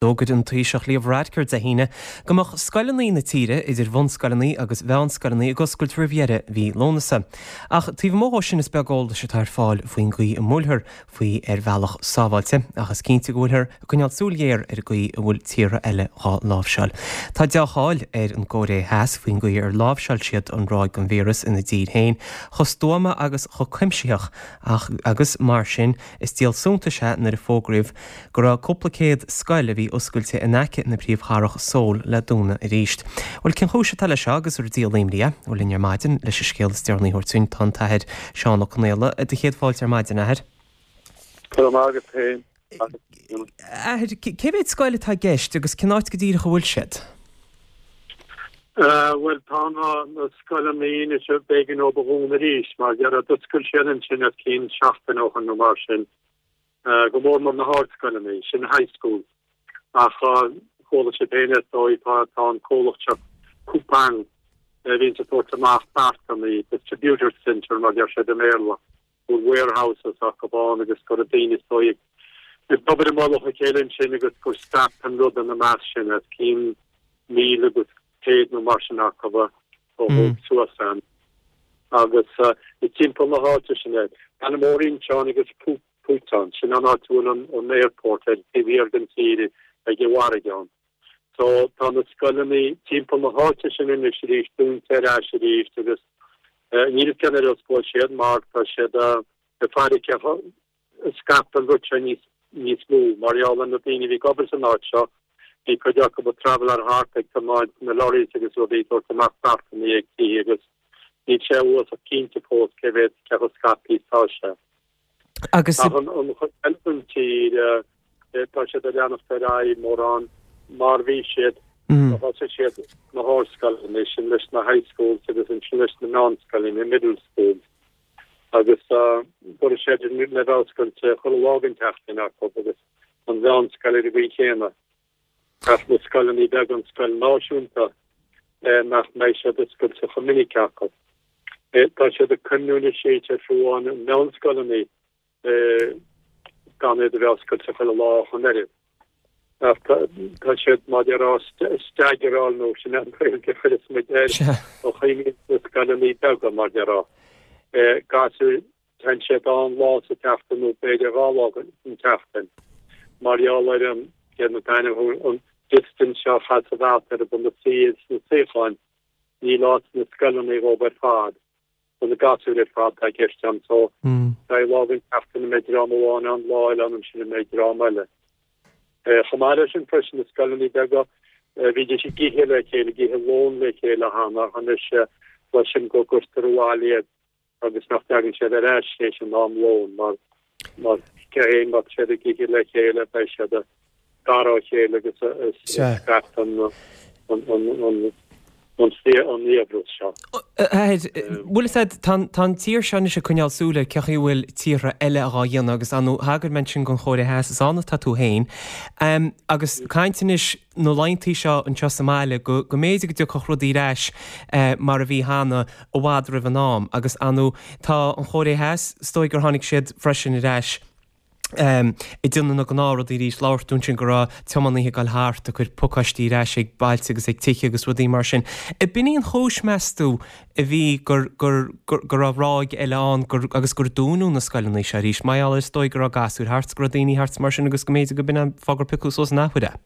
D'fhógair an Taoiseach Leo Varadkar Dé hAoine go mbeadh scoileanna na tíre, idir bhunscoileanna agus mheánscoileanna, ag oscailt roimh dheireadh mhí Lúnasa. Ach taobh amuigh dhó sin is beag eolais atá ar fáil faoin gcaoi a mbuailfear faoi ar bhealach sábháilte, ach is cinnte go bhfuilthear ag coinneáil súil ghéar ar an gcaoi a bhfuil tíortha eile dhá láimhseáil. Tá dea-cháil ar an gCóiré Theas faoin gcaoi ar láimhseáil siad an ráig den víreas ina dtír féin, chomh stuama agus chomh cuimsitheach ach agus mar sin is díol suntais é nuair a fógraíodh go raibh cúpla céad scoil a bhí oscailte in aice na príomhchathrach Seoul le dúnadh arís. Bhuel, cén chúis atá leis seo agus ar díol imní é? Bhuel, linn ar maidin leis an scéal is deireanaí a thabhairt dúinn tá an tAthair Seán Ó Conaola. Do chéad fáilte ar maidin, a Athair. Go raibh maith agat féin. Athair, cé mhéad scoil atá i gceist agus cén áit go díreach a bhfuil siad? Bhuel, tá na scoileanna anois, b'éigean dóibh a dhúnadh arís mar dheireadh d'oscail siad ansin os cionn seachtain ó shin nó mar sin. go mór mór na hardscoileanna, sin high schools. Ach chuala sibh féin is dóigh, tá tá an comhlacht seo Coupang a bhíonns ag tabhairt amach beartanna, distributor centre mar deir siad i mBéarla, bhfuil warehouses acu ann agus go raibh daoine is dóigh ag obair i mullach a chéile ansin agus gur scaip an rud ina measc sin os cionn 1,100 nó mar sin acu a thóg suas ann. Agus is timpeall na háite sin é. Baile mór Incheon agus Busan, sin an áit a bhfuil an airport ar taobh thiar den tír ag an bhfarraige ann. So tá na scoileanna timpeall na háite sin anois arís dúnta ar ais arís agus níl fhios cén uair a osclóidh siad mar tá siad ag faire cé chomh scaipthe an rud seo níos níos mó mar gheall ar na daoine a bhí ag obair san áit seo. Bhí cuid acu ag traveláil thart ag tiomáint na lorries agus rudaí ag tabhairt amach beartanna ag tithe agus níl sé uasach cinnte fós cé mhéad cé chomh scaipthe is atá sé. Agus. Ach an an chuid eile den tír tá siad ag leanacht ar aghaidh mórán mar bhí siad. Thosaigh siad na hardscoileanna sin leis na high schools agus ansin leis na meánscoileanna, middle schools. agus go raibh siad le bheith oscailte chuile lá den tseachtain acu agus an mheánscoil ar an gcaoi chéanna. Ach na scoileanna beaga, an scoil náisiúnta, nach mbeidh siad oscailte chomh minic acu. Tá siad ag cuimhniú anois ar fiú amháin na meánscoileanna gan iad a bheith oscailte chuile lá ach an oiread. Ach tá siad, mar a déarfá, staggeráil nó sin an Ghaeilge a chuireas muid air, ó chuimhníonn na scoileanna beaga, mar a déarfá. Gasúir, téann siad ann lá sa tseachtain nó b'fhéidir 2 lá san tseachtain mar gheall ar an, céard an t-ainm, an distance seo a chaithfidh a bheith eatarthu na suí sna suíocháin, níl áit sna scoileanna dhóibh ar fad. do na gasúir ar fad atá i gceist ann so beidh lá den tseachtain a mbeidh dream amháin ann, lá eile ann ansin a mbeidh dream eile. Chomh maith leis sin freisin na scoileanna beaga bhídís ag ithe le chéile, ag ithe lón le chéile cheana ach anois cloisim go gcuirtear abhaile iad agus nach dtagann siad ar ais théis an am lóin mar Mar cé hé má tá siad ag ithe le chéile beidh siad gar dá chéile agus scaip an fhiabhras seo. Athair, bhfuil fhios a'd, tá an tír seo anois ag coinneáil súil ar cén chaoi a bhfuil tíortha eile dhá dhéanamh agus ar ndóigh thagair mé ansin don Chóiré Theas, is ann atá tú féin. Agus caint anois na laethanta seo anseo sa mbaile go go mb'fhéidir go dtiocfadh rudaí ar ais mar a bhí cheana i bhfad roimh an am agus ar ndóigh tá an Chóiré Theas, is dóigh gur tháinig siad freisin ar ais ag déanamh na gnáthrudaí arís, labhair tú ansin go raibh tiománaithe ag dul thart ag cur pacáistí ar ais ag bailte agus ag tithe agus rudaí mar sin. Ab in í an chúis, meas tú, a bhí gur, gur, gur, go raibh ráig eile ann gur, agus gur dúnadh na scoileanna seo arís, mar gheall ar is dóigh go raibh gasúir thart 's go raibh daoine thart 's mar sin agus go mb'fhéidir go b'in an fáth gur piocadh suas an athuair é.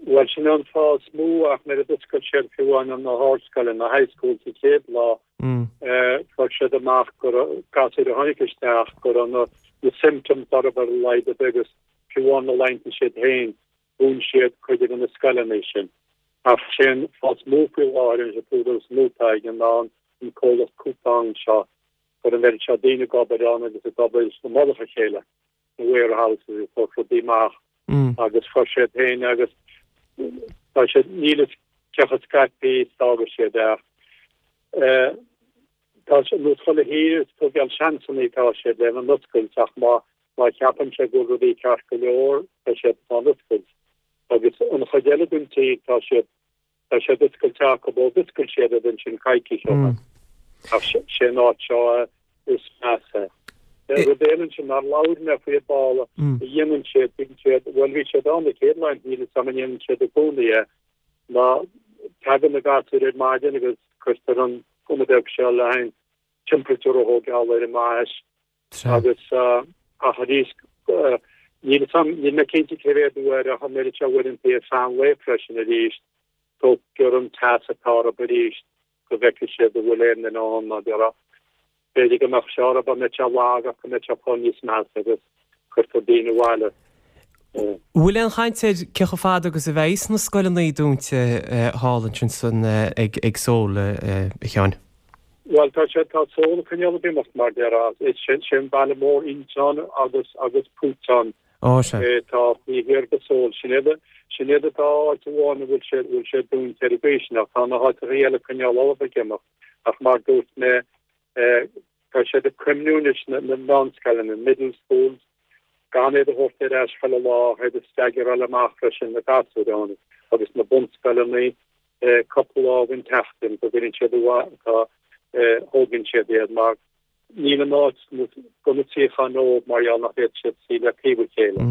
Bhuel, sin an fáth is mó ach nuair a d'oscail siad fiú amháin na hardscoileanna, na high schools sa chéad lá, fuair siad amach go raibh gasúir a tháinig isteach, go raibh na, na symptoms orthu ar a laghad ar bith agus fiú amháin na laethanta siad féin, dhún siad cuid de na scoileanna sin. Ach sé an fáth is mó faoi láthair an t-údar is mó atá aige ná an comhlacht Coupang seo, go raibh an oiread seo daoine ag obair ann agus ag obair i mullach a chéile sna warehouses ag tabhairt rudaí amach agus chuir siad féin agus tá siad níl fhios cé chomh scaipthe is d'fhága siad é ach tá sé nós chuile thír is tógáil seansanna atá siad lena n-oscailt ach má má cheapann sé go bhfuil rudaí ceart go leor tá siad á n-oscailt agus an chuid eile den tír tá siad tá siad oscailte acu ó d'oscail siad iad ansin coicís ó shin. Ach sé an áit seo is measa. Rud eile ansin nár labhair mé faoi ar ball a dhéanann siad, bíonn siad, bhuel bhí siad ann na chéad lá, níl fhios a'm an ndéanann siad i gcónaí é, ná tagann na gasúir ar maidin agus cuirtear an gunna beag seo le haghaidh an temperature a thógáil ar a mbais agus ach arís níl fhios a'm, níl mé cinnte cé mhéad uair ach an oiread seo uaireanta ar feadh an lae freisin arís, tógtar an teas atá orthu arís. go bhfeicfidh siad an bhfuil aon duine ann mar déarfá. B'fhéidir go mbeadh sé orthu, mbeadh sé lag ach go mbeadh sé ag fáil níos measa agus cuirtear daoine abhaile. Bhfuil aon chaint ar cé chomh fada agus a bheidh na scoileanna dúnta thall ansin san ag Seoul, a Sheáin? Bhuel, tá sé, tá Seoul ag coinneáil ag imeacht mar déarfá. Is sin, sin baile mór Incheon agus, agus Bucheon. Ó, sea. Tá taobh thiar de Seoul. Sin iad, sin iad an dá áit amháin a bhfuil sé, bhfuil sé dúnta ar an gcaoi sin, ach tá na háiteacha eile ag coinneáil ullamh ag imeacht. Ach mar dúirt mé, tá siad ag cuimhniú anois na, na meánscoileanna, middle schools, gan iad a thabhairt ar ais chuile lá, ach iad a staggeráil amach freisin, na gasúir ann, agus na bunscoileanna, cúpla lá den tseachtain go gcuireann siad, tá, thógann siad iad mar. Níl an áit do na suíocháin dóibh mar gheall nach bhféadfaidh siad suí le taobh a chéile.